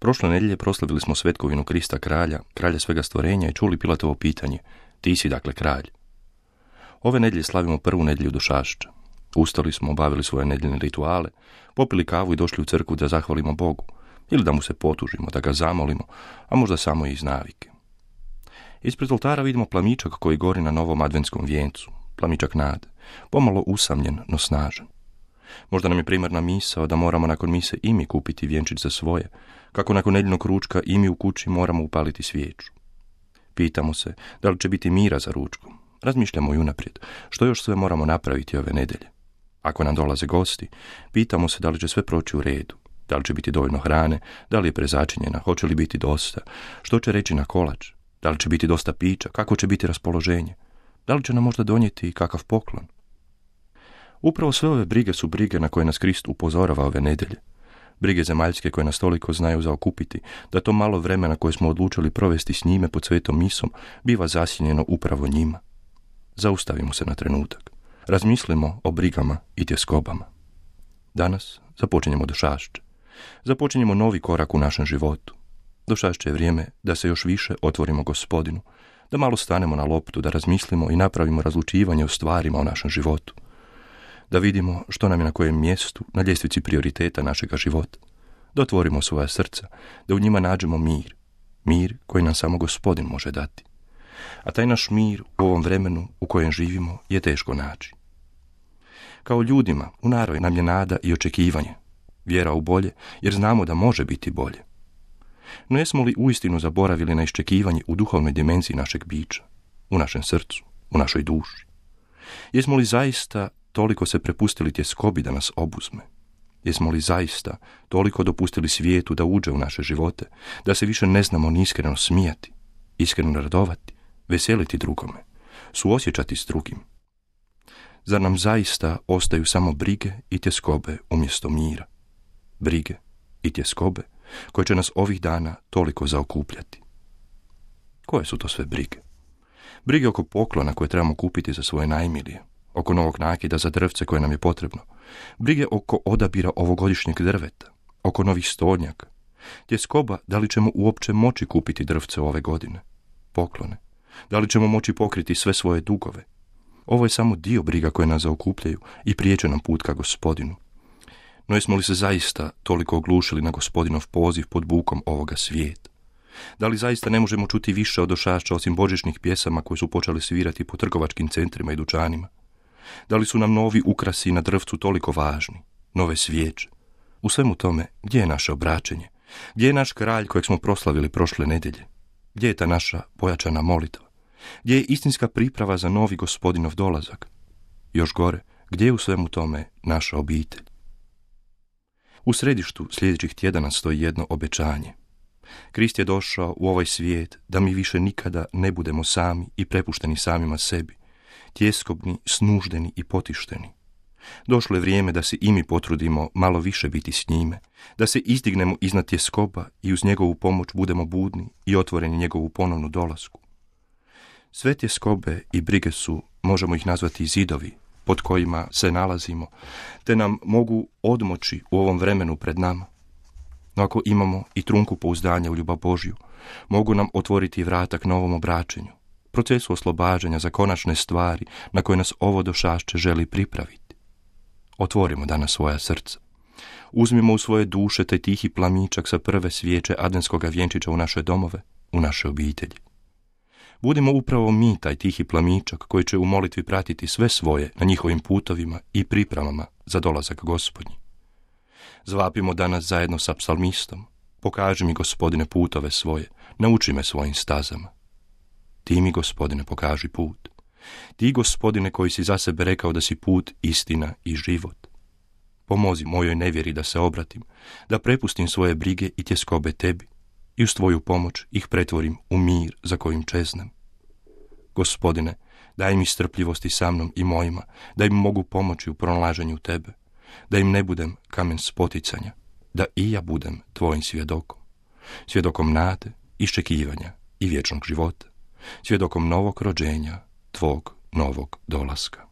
Prošle nedjelje proslavili smo svetkovinu Krista kralja, kralja svega stvorenja i čuli Pilatovo pitanje: ti si dakle kralj. Ove nedjelje slavimo prvu nedjelju Došašća. Ustali smo, obavili svoje nedjeljne rituale, popili kavu i došli u crkvu da zahvalimo Bogu, ili da mu se potužimo, da ga zamolimo, a možda samo i iz navike. Ispred oltara vidimo plamičak koji gori na novom adventskom vijencu, plamičak nade, pomalo usamljen, no snažan. Možda nam je primarna misao da moramo nakon mise i mi kupiti vjenčić za svoje, kako nakon nedjeljnog ručka i mi u kući moramo upaliti svijeću. Pitamo se da li će biti mira za ručkom. Razmišljamo i unaprijed što još sve moramo napraviti ove nedjelje. Ako nam dolaze gosti, pitamo se da li će sve proći u redu, da li će biti dovoljno hrane, da li je prezačinjena, hoće li biti dosta, što će reći na kolač, da li će biti dosta pića, kako će biti raspoloženje, da li će nam možda donijeti i kakav poklon. Upravo sve ove brige su brige na koje nas Krist upozorava ove nedjelje. Brige zemaljske koje nas toliko znaju zaokupiti, da to malo vremena koje smo odlučili provesti s njime pod svetom misom biva zasjenjeno upravo njima. Zaustavimo se na trenutak. Razmislimo o brigama i tjeskobama. Danas započinjemo Došašće. Započinjemo novi korak u našem životu. Došašće je vrijeme da se još više otvorimo Gospodinu, da malo stanemo na loptu, da razmislimo i napravimo razlučivanje o stvarima u našem životu. Da vidimo što nam je na kojem mjestu na ljestvici prioriteta našega života. Da otvorimo svoja srca, da u njima nađemo mir. Mir koji nam samo Gospodin može dati. A taj naš mir u ovom vremenu u kojem živimo je teško naći. Kao ljudima u naravi nam je nada i očekivanje, vjera u bolje, jer znamo da može biti bolje. No jesmo li uistinu zaboravili na iščekivanje u duhovnoj dimenziji našeg bića, u našem srcu, u našoj duši? Jesmo li zaista toliko se prepustili tjeskobi da nas obuzme? Jesmo li zaista toliko dopustili svijetu da uđe u naše živote, da se više ne znamo ni iskreno smijati, iskreno radovati, veseliti drugome, suosjećati s drugim? Zar nam zaista ostaju samo brige i tjeskobe umjesto mira? Brige i tjeskobe koje će nas ovih dana toliko zaokupljati. Koje su to sve brige? Brige oko poklona koje trebamo kupiti za svoje najmilije, oko novog nakida za drvce koje nam je potrebno, brige oko odabira ovogodišnjeg drveta, oko novih stolnjaka, tjeskoba da li ćemo uopće moći kupiti drvce ove godine, poklone, da li ćemo moći pokriti sve svoje dugove. Ovo je samo dio briga koje nas zaokupljaju i priječe nam put ka Gospodinu. No jesmo li se zaista toliko oglušili na Gospodinov poziv pod bukom ovoga svijeta? Da li zaista ne možemo čuti više od Došašća osim božićnih pjesama koje su počeli svirati po trgovačkim centrima i dućanima? Da li su nam novi ukrasi na drvcu toliko važni, nove svijeće? U svemu tome, gdje je naše obraćenje? Gdje je naš kralj kojeg smo proslavili prošle nedjelje? Gdje je ta naša pojačana molitva? Gdje je istinska priprava za novi Gospodinov dolazak? Još gore, gdje je u svemu tome naša obitelj? U središtu sljedećih tjedana stoji jedno obećanje. Krist je došao u ovaj svijet da mi više nikada ne budemo sami i prepušteni samima sebi, tjeskobni, snuždeni i potišteni. Došlo je vrijeme da se i mi potrudimo malo više biti s njime, da se izdignemo iznad tjeskoba i uz njegovu pomoć budemo budni i otvoreni njegovu ponovnu dolasku. Sve tjeskobe i brige su, možemo ih nazvati zidovi, pod kojima se nalazimo, te nam mogu odmoći u ovom vremenu pred nama. No ako imamo i trunku pouzdanja u ljubav Božju, mogu nam otvoriti vrata k novom obraćenju, procesu oslobađanja za konačne stvari na koje nas ovo Došašće želi pripraviti. Otvorimo danas svoja srca. Uzmimo u svoje duše taj tihi plamičak sa prve svijeće adventskoga vjenčića u naše domove, u naše obitelji. Budimo upravo mi taj tihi plamičak koji će u molitvi pratiti sve svoje na njihovim putovima i pripremama za dolazak Gospodnji. Zvapimo danas zajedno sa psalmistom: pokaži mi, Gospodine, putove svoje, nauči me svojim stazama. Ti mi, Gospodine, pokaži put. Ti, Gospodine, koji si za sebe rekao da si put, istina i život. Pomozi mojoj nevjeri da se obratim, da prepustim svoje brige i tjeskobe tebi i uz tvoju pomoć ih pretvorim u mir za kojim čeznem. Gospodine, daj mi strpljivosti sa mnom i mojima, da im mogu pomoći u pronalaženju tebe, da im ne budem kamen spoticanja, da i ja budem tvojim svjedokom, svjedokom nade, iščekivanja i vječnog života, svjedokom novog rođenja, tvog novog dolaska.